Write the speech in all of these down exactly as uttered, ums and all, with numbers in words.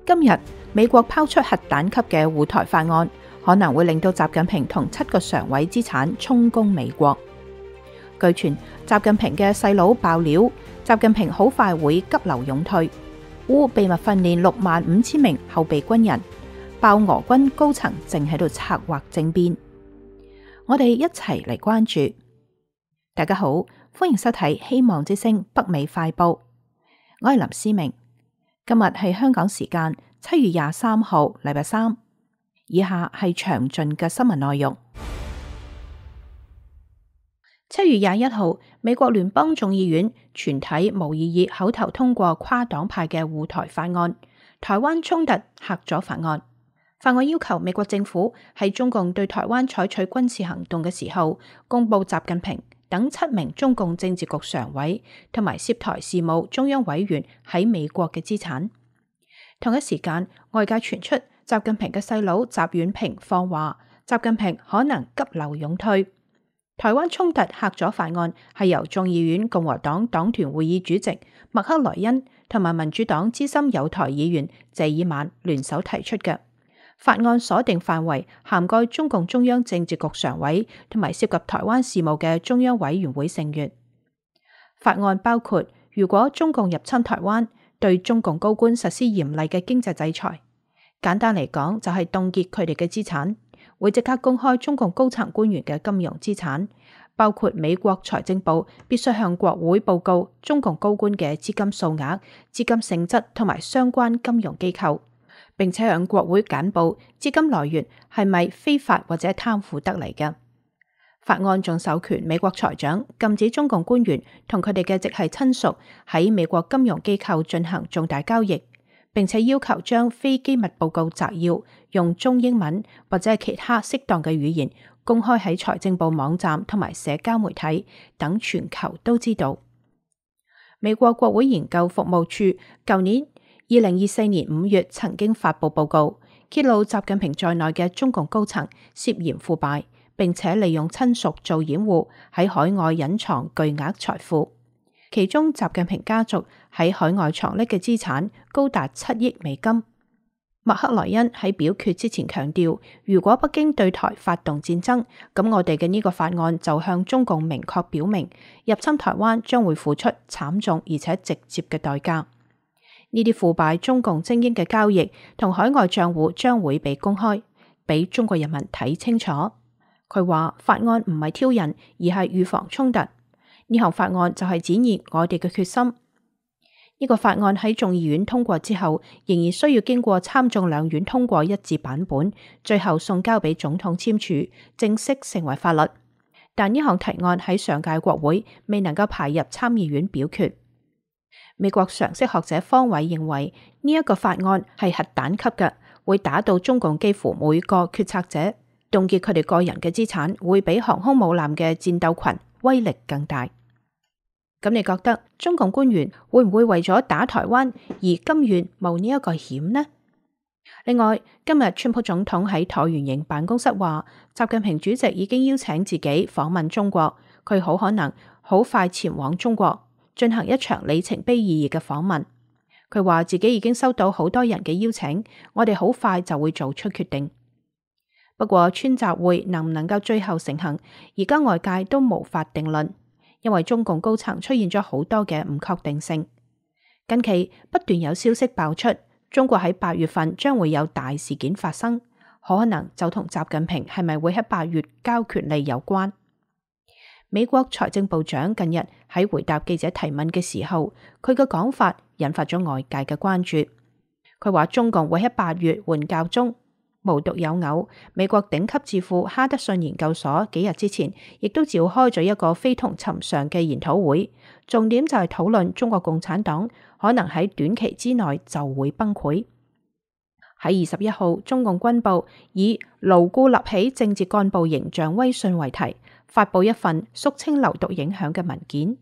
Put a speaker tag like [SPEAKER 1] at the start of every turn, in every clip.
[SPEAKER 1] 今日美國拋出核彈級嘅護台法案，可能會令到習近平同七個常委資產充公美國。據傳，習近平嘅細佬爆料，習近平好快會急流勇退，烏秘密訓練六萬五千名後備軍人，爆俄軍高層正喺度策劃政變。我哋一齊嚟關注。大家好，歡迎收睇希望之聲北美快報，我係林思明。今日係香港時間七月廿三號，禮拜三。以下係詳盡嘅新聞內容。七月廿一號，美國聯邦眾議院全體無異議口頭通過跨黨派嘅護台法案，台灣衝突嚇阻法案。法案要求美國政府喺中共對台灣採取軍事行動嘅時候，公布習近平等七名中共政治局常委同埋涉台事務中央委員喺美國嘅資產。同一時間，外界傳出習近平嘅細佬習遠平放話，習近平可能急流勇退。台灣衝突嚇阻法案係由眾議院共和黨黨團會議主席麥克萊恩同埋民主黨資深友台議員謝爾曼聯手提出嘅。法案鎖定範圍，涵蓋中共中央政治局常委同埋涉及台灣事務嘅中央委員會成員。法案包括，如果中共入侵台灣，對中共高官實施嚴厲嘅經濟制裁。簡單嚟講，就係凍結佢哋嘅資產，會即刻公開中共高層官員嘅金融資產，包括美國財政部必須向國會報告中共高官嘅資金數額、資金性質同埋相關金融機構，並且向國會簡報資金來源係咪非法或者貪腐得嚟嘅。法案仲授權美國財長禁止中共官員同佢哋嘅直系親屬喺美國金融機構進行重大交易，並且要求將非機密報告摘要用中英文或者係其他適當嘅語言公開喺財政部網站同埋社交媒體，等全球都知道。美國國會研究服務處舊年二零二四年五月曾經發布報告，揭露習近平在內嘅中共高層涉嫌腐敗，並且利用親屬做掩護，喺海外隱藏巨額財富。其中習近平家族喺海外藏匿嘅資產高達七億美金。麥克萊恩喺表決之前強調，如果北京對台發動戰爭，咁我哋嘅呢個法案就向中共明確表明，入侵台灣將會付出慘重而且直接嘅代價。呢啲腐敗中共精英嘅交易同海外賬戶將會被公開，俾中國人民睇清楚。佢話法案唔係挑釁，而係預防衝突。呢項法案就係展現我哋嘅決心。呢個法案喺眾議院通過之後，仍然需要經過參眾兩院通過一致版本，最後送交俾總統簽署，正式成為法律。但呢項提案喺上屆國會未能夠排入參議院表決。美國常識學者方偉認為，呢一個法案係核彈級嘅，會打到中共幾乎每個決策者，凍結佢哋個人嘅資產，會比航空母艦嘅戰鬥群威力更大。咁你覺得中共官員會唔會為咗打台灣而甘願冒呢一個險呢？另外，今日川普總統喺橢圓形辦公室話，習近平主席已經邀請自己訪問中國，佢好可能好快前往中國進行一場里程碑意義嘅訪問。佢話自己已經收到好多人嘅邀請，我哋好快就會做出決定。不過川習會能唔能夠最後成行，而家外界都無法定論，因為中共高層出現咗好多嘅唔確定性。近期不斷有消息爆出，中國喺八月份將會有大事件發生，可能就同習近平係咪會喺八月交權力有關。美國財政部長近日喺回答記者提問嘅時候，佢嘅講法引發咗外界嘅關注。佢話中共會喺八月換教宗。無獨有偶，美國頂級智庫哈德遜研究所幾日之前亦都召開咗一個非同尋常嘅研討會，重點就係討論中國共產黨可能喺短期之內就會崩潰。喺二十一號，中共軍部以牢固立起政治幹部形象威信為題，發佈一份肅清流毒影響嘅文件，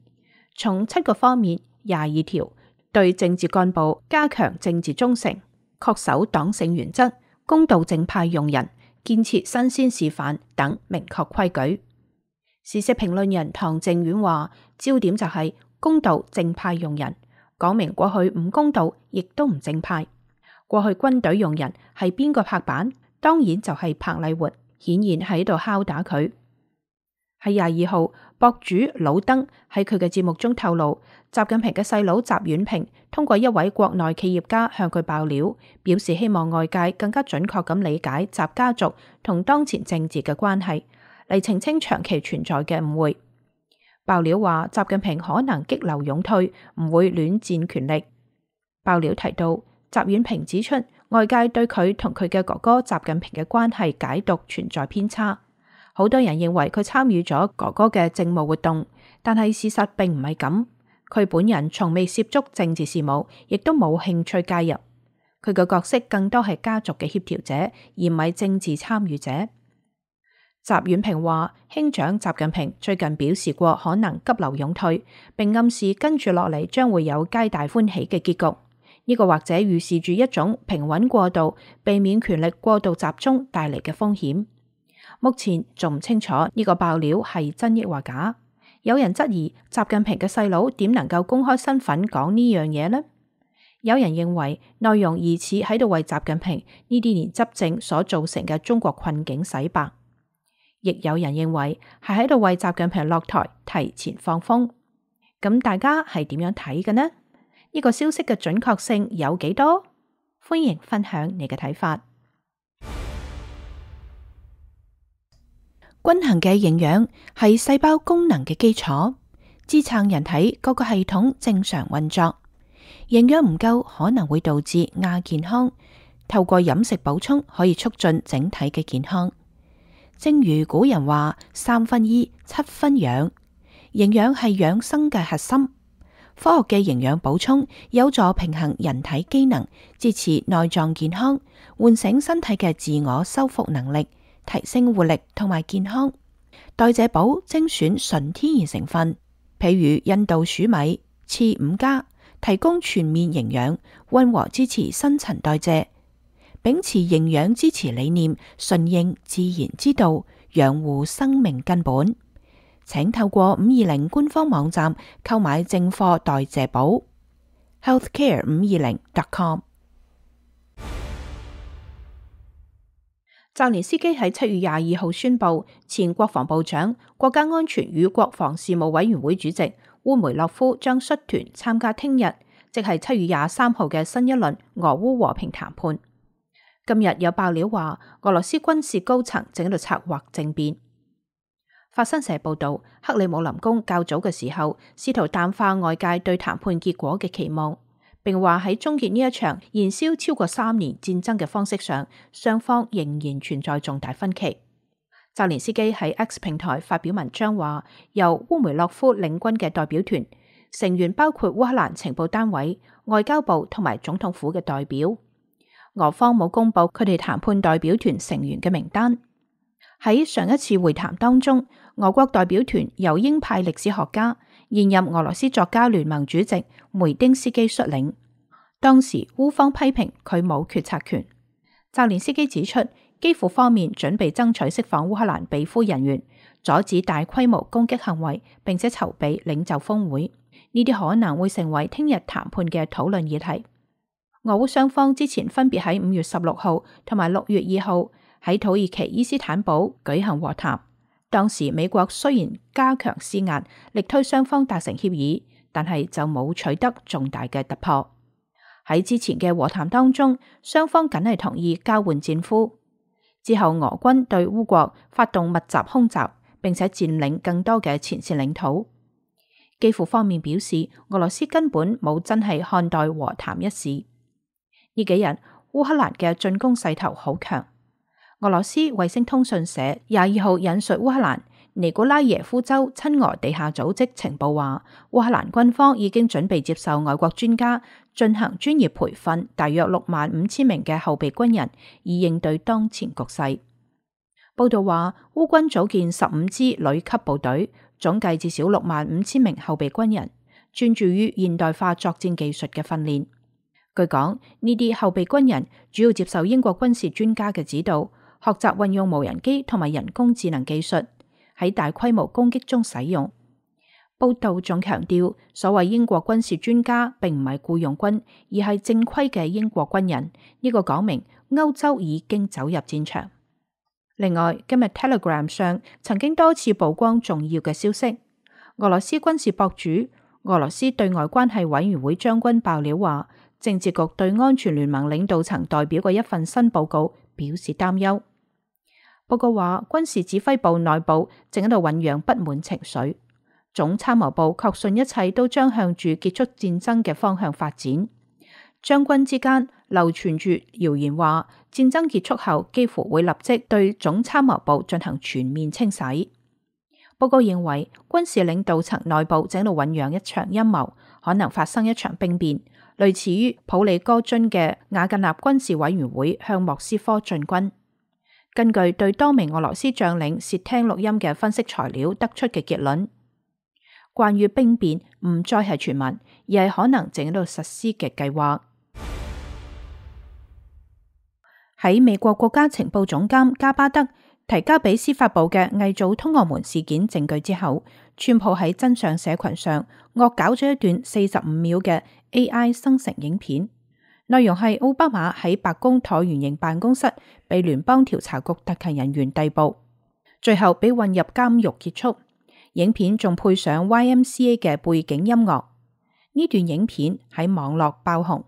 [SPEAKER 1] 從七個方面廿二條，對政治幹部加強政治忠誠，恪守黨性原則，公道正派用人，建設新鮮示範等明確規矩。時事評論人唐靖遠話，焦點就係公道正派用人，講明過去唔公道亦都唔正派。過去軍隊用人係邊個拍板？當然就係彭麗媛，顯然喺度敲打佢。喺廿二號，博主老登喺佢嘅節目中透露，習近平嘅細佬習遠平通過一位國內企業家向佢爆料，表示希望外界更加準確咁理解習家族同當前政治嘅關係，嚟澄清長期存在嘅誤會。爆料話，習近平可能激流勇退，唔會戀戰權力。爆料提到，習遠平指出，外界對佢同佢嘅哥哥習近平嘅關係解讀存在偏差。好多人認為佢參與咗哥哥嘅政務活動，但係事實並唔係咁。佢本人從未涉足政治事務，亦都冇興趣介入。佢嘅角色更多係家族嘅協調者，而唔係政治參與者。習遠平話，兄長習近平最近表示過可能急流勇退，並暗示跟住落嚟將會有皆大歡喜嘅結局。呢個或者預示住一種平穩過渡，避免權力過度集中帶嚟嘅風險。目前仲唔清楚呢個爆料係真抑或假。有人質疑習近平嘅細佬點能夠公開身份講呢樣嘢呢？有人認為內容疑似喺度為習近平呢啲年執政所造成嘅中國困境洗白，亦有人認為係喺度為習近平落台提前放風。咁大家係點樣睇嘅呢？呢個消息嘅準確性有幾多？歡迎分享你嘅睇法。均衡嘅營養係細胞功能嘅基礎，支撐人體各個系統正常運作。營養唔夠可能會導致亞健康，透過飲食補充可以促進整體嘅健康。正如古人話：三分醫，七分養。營養係養生嘅核心。科學嘅營養補充有助平衡人體機能，支持內臟健康，喚醒身體嘅自我修復能力，提升活力同埋健康。代謝寶精選純天然成分，譬如印度鼠米、次五加，提供全面營養，溫和支持新陳代謝。秉持營養支持理念，順應自然之道，養護生命根本。請透過五二零官方網站購買正貨代謝寶 healthcare 五二零 dot com。澤連斯基喺七月廿二號宣布，前國防部長、國家安全與國防事務委員會主席烏梅洛夫將率團參加聽日，即係七月廿三號嘅新一輪俄烏和平談判。今日有爆料話，俄羅斯軍事高層正喺度策劃政變。法新社報道，克里姆林宮較早嘅時候試圖淡化外界對談判結果嘅期望，並話喺終結呢一場燃燒超過三年戰爭嘅方式上，雙方仍然存在重大分歧。澤連斯基喺 X 平台發表文章話，由烏梅洛夫領軍嘅代表團成員包括烏克蘭情報單位、外交部同埋總統府嘅代表。俄方冇公布佢哋談判代表團成員嘅名單。喺上一次會談當中，俄國代表團由鷹派歷史學家、現任俄羅斯作家聯盟主席梅丁斯基率領。當時烏方批評佢冇決策權。澤連斯基指出，基輔方面準備爭取釋放烏克蘭被俘人員，阻止大規模攻擊行為，並且籌備領袖峰會。呢啲可能會成為聽日談判嘅討論議題。俄烏雙方之前分別喺五月十六號同埋六月二號喺土耳其伊斯坦堡舉行和談。當時美國雖然加強施壓，力推雙方達成協議，但係就冇取得重大嘅突破。喺之前嘅和談當中，雙方僅係同意交換戰俘。之後俄軍對烏國發動密集空襲，並且佔領更多嘅前線領土。基輔方面表示，俄羅斯根本冇真係看待和談一事。呢幾日烏克蘭嘅進攻勢頭好強。俄羅斯衛星通訊社廿二號引述烏克蘭尼古拉耶夫州親俄地下組織情報話，烏克蘭軍方已經準備接受外國專家進行專業培訓，大約六萬五千名嘅後備軍人，以應對當前局勢。報道話，烏軍組建十五支旅級部隊，總計至少六萬五千名後備軍人，專注於現代化作戰技術嘅訓練。據講，呢啲後備軍人主要接受英國軍事專家嘅指導，學習運用無人機同埋人工智能技術喺大規模攻擊中使用。報道仲強調，所謂英國軍事專家並唔係僱傭軍，而係正規嘅英國軍人。呢個講明歐洲已經走入戰場。另外，今日 Telegram 上曾經多次曝光重要嘅消息。俄羅斯軍事博主、俄羅斯對外關係委員會將軍爆料話，政治局對安全聯盟領導層代表嘅一份新報告表示擔憂。報告話，軍事指揮部內部正喺度醞釀不滿情緒。總參謀部確信一切都將向住結束戰爭嘅方向發展。將軍之間流傳住謠言話，戰爭結束後幾乎會立即對總參謀部進行全面清洗。報告認為，軍事領導層內部正喺度醞釀一場陰謀，可能發生一場兵變，類似於普里戈津嘅瓦格納軍事委員會向莫斯科進軍。根據對多名俄羅斯將領竊聽錄音嘅分析材料得出嘅結論，關於兵變唔再係傳聞，而係可能正喺度實施嘅計劃。喺美國國家情報總監加巴德提交俾司法部嘅偽造通俄門事件證據之後，川普喺真相社群上惡搞咗一段四十五秒嘅 A I 生成影片，內容係奧巴馬喺白宮橢圓形辦公室被聯邦調查局特勤人員逮捕，最後被運入監獄結束。影片仲配上 Y M C A 嘅背景音樂，呢段影片喺網絡爆紅。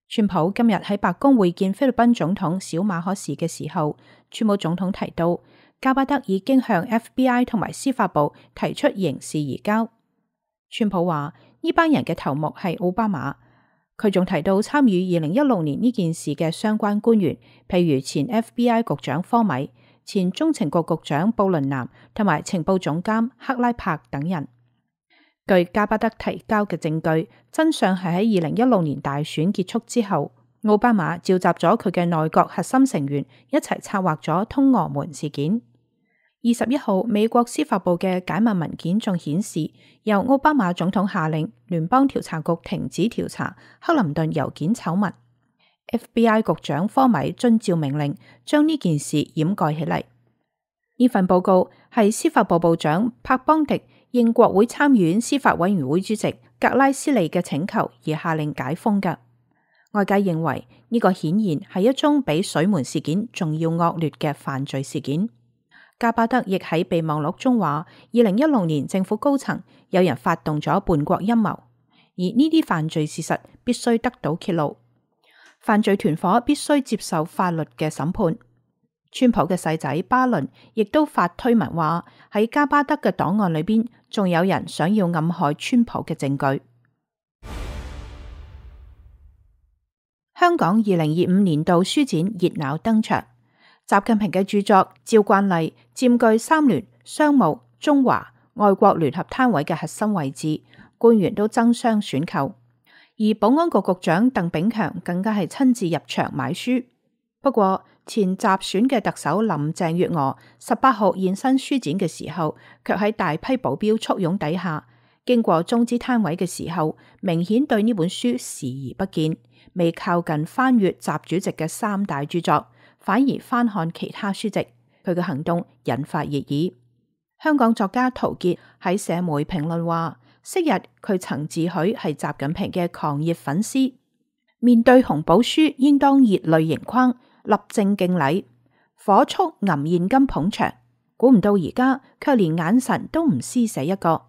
[SPEAKER 1] 川普今日喺白宮會見菲律賓總統小馬可士嘅時候，川普總統提到加巴德已經向 F B I 同埋司法部提出刑事移交。川普話呢班人嘅頭目係奧巴馬，佢仲提到參與二零一六年呢件事嘅相關官員，譬如前 F B I 局長科米、前中情局局長布倫南同埋情報總監克拉柏等人。據加巴德提交嘅證據，真相係喺二零一六年大選結束之後，奧巴馬召集咗佢嘅內閣核心成員一齊策劃咗通俄門事件。二十一號，美國司法部嘅解密文件仲顯示，由奧巴馬總統下令聯邦調查局停止調查克林頓郵件醜聞。F B I 局長科米遵照命令，將呢件事掩蓋起嚟。呢份報告係司法部部長柏邦迪應國會參議院司法委員會主席格拉斯利嘅請求而下令解封嘅。外界認為呢個顯然係一宗比水門事件仲要惡劣嘅犯罪事件。加巴德亦喺備忘錄中話，二零一六年政府高層有人發動咗叛國陰謀，而呢啲犯罪事實必須得到揭露。犯罪團夥必須接受法律嘅審判。川普嘅細仔巴倫亦都發推文話，喺加巴德嘅檔案裏邊，仲有人想要暗害川普嘅證據。香港二零二五年度書展熱鬧登場，習近平嘅著作照慣例佔據三聯、商務、中華、外國聯合攤位嘅核心位置，官員都爭相選購。而保安局局長鄧炳強更加係親自入場買書。不過前集選嘅特首林鄭月娥十八號現身書展嘅時候，卻喺大批保鏢簇擁底下，經過中資攤位嘅時候，明顯對呢本書視而不見，未靠近翻閱習主席嘅三大著作，反而翻看其他書籍。佢嘅行動引發熱議。香港作家陶傑喺社媒評論話，昔日佢曾自詡係習近平嘅狂熱粉絲，面對紅寶書應當熱淚盈眶，立正敬禮，火速揞現金捧場。估唔到而家卻連眼神都唔施捨一個。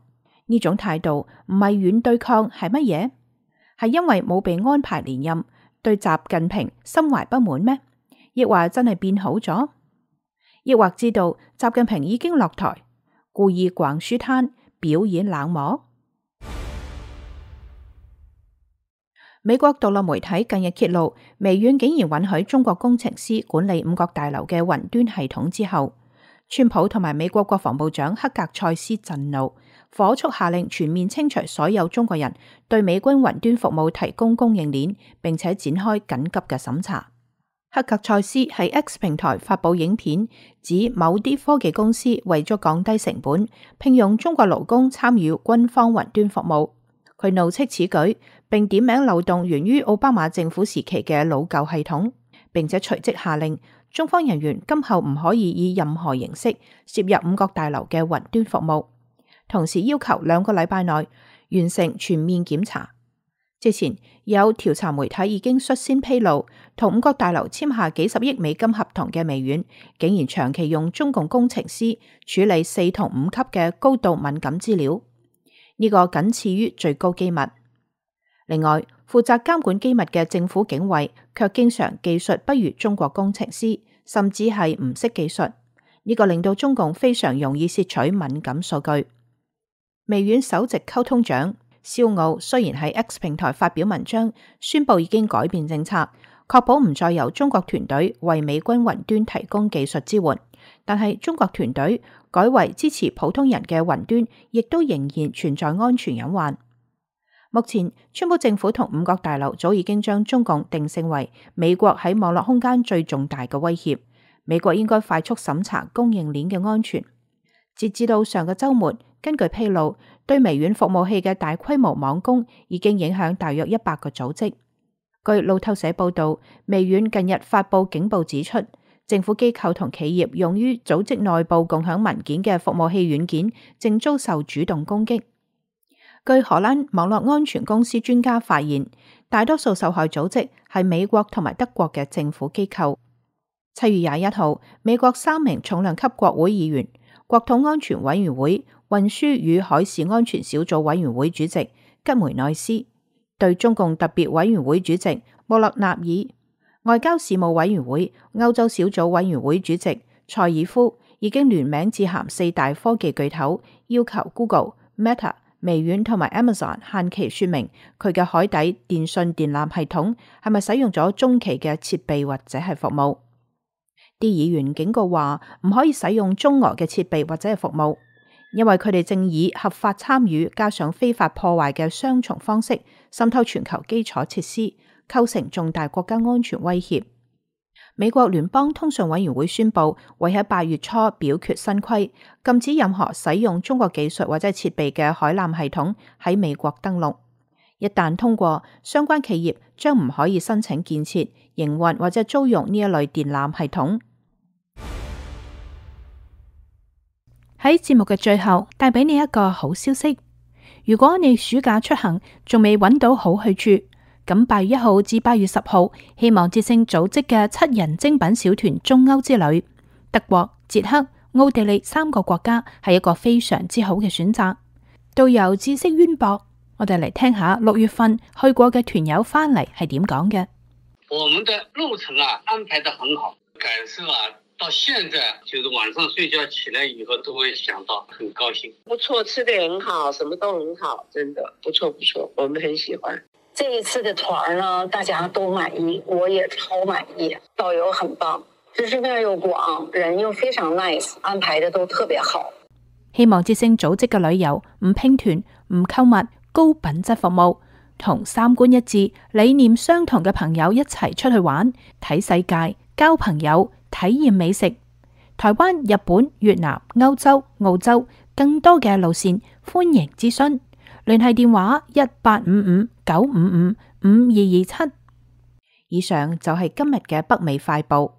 [SPEAKER 1] 呢種態度唔係軟對抗係乜嘢？係因為冇被安排連任，對習近平心懷不滿咩？亦或真係變好咗？亦或知道習近平已經落台，故意逛書攤表演冷漠？美國獨立媒體近日揭露，微軟竟然允許中國工程師管理五角大樓嘅雲端系統之後，川普同埋美國國防部長克格塞斯震怒，火速下令全面清除所有中國人對美軍雲端服務提供供應鏈，並且展開緊急嘅審查。克格塞斯喺 X 平台發佈影片，指某啲科技公司為咗降低成本，聘用中國勞工參與軍方雲端服務。佢怒斥此舉，並點名漏洞源於奧巴馬政府時期嘅老舊系統，並且隨即下令中方人員今後唔可以以任何形式涉入五角大樓嘅雲端服務。同時要求兩個禮拜內完成全面檢查。之前有調查媒體已經率先披露，同五角大樓簽下幾十億美金合同嘅微軟，竟然長期用中共工程師處理四同五級嘅高度敏感資料，呢、這個僅次於最高機密。另外，負責監管機密嘅政府警衛卻經常技術不如中國工程師，甚至係唔識技術，呢、這個令到中共非常容易竊取敏感數據。微軟首席溝通長肖奧雖然喺 X 平台發表文章，宣布已經改變政策，確保唔再由中國團隊為美軍雲端提供技術支援，但係中國團隊改為支持普通人嘅雲端，亦都仍然存在安全隱患。目前，川普政府同五角大樓早已經將中共定性為美國喺網絡空間最重大嘅威脅，美國應該快速審查供應鏈嘅安全。截至到上個週末，根據披露，對微軟服務器嘅大規模網攻已經影響大約一百個組織。據路透社報道，微軟近日發布警報指出，政府機構同企業用於組織內部共享文件嘅服務器軟件正遭受主動攻擊。據荷蘭網絡安全公司專家發現，大多數受害組織係美國同埋德國嘅政府機構。七月廿一號，美國三名重量級國會議員、國土安全委員會運輸與海事安全小組委員會主席吉梅內斯，對中共特別委員會主席穆勒納爾、外交事務委員會歐洲小組委員會主席塞爾夫已經聯名致函四大科技巨頭，要求 Google、Meta、微軟同埋 Amazon 限期說明佢嘅海底電信電纜系統係咪使用咗中企嘅設備或者係服務。啲議員警告話唔可以使用中俄嘅設備或者係服務，因為佢哋正以合法參與加上非法破壞嘅雙重方式滲透全球基礎設施，構成重大國家安全威脅。美國聯邦通訊委員會宣布會喺八月初表決新規，禁止任何使用中國技術或者設備嘅海纜系統喺美國登陸。一旦通過，相關企業將唔可以申請建設、營運或者租用呢一類電纜系統。喺節目嘅最後，帶俾你一個好消息。如果你暑假出行仲未揾到好去處，咁八月一號至八月十號，希望之聲組織嘅七人精品小團中歐之旅，德國、捷克、奧地利三個國家係一個非常之好嘅選擇。導遊知識淵博，我哋嚟聽下六月份去過嘅團友翻嚟係點講嘅。
[SPEAKER 2] 我們的路程啊安排得很好，感受啊。到現在就是晚上睡覺起來以後都會想到，很高興。
[SPEAKER 3] 不錯，吃得很好，什麼都很好，真的不錯不錯，我們很喜歡。這一次的團呢，大家都滿意，我也超滿意。導遊很棒，知識面又廣，人又非常 nice， 安排得都特別好。
[SPEAKER 1] 希望之聲組織嘅旅遊唔拼團、唔購物，高品質服務，同三觀一致、理念相同嘅朋友一齊出去玩，睇世界，交朋友。體驗美食，台灣、日本、越南、歐洲、澳洲，更多嘅路線，歡迎諮詢，聯繫電話一八五五九五五五二二七。以上就係今日嘅北美快報，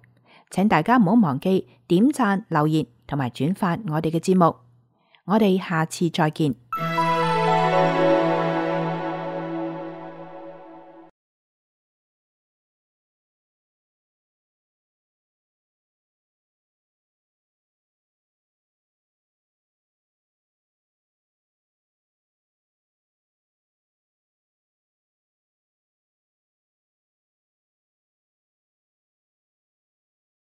[SPEAKER 1] 請大家唔好忘記點讚、留言同埋轉發我哋嘅節目，我哋下次再見。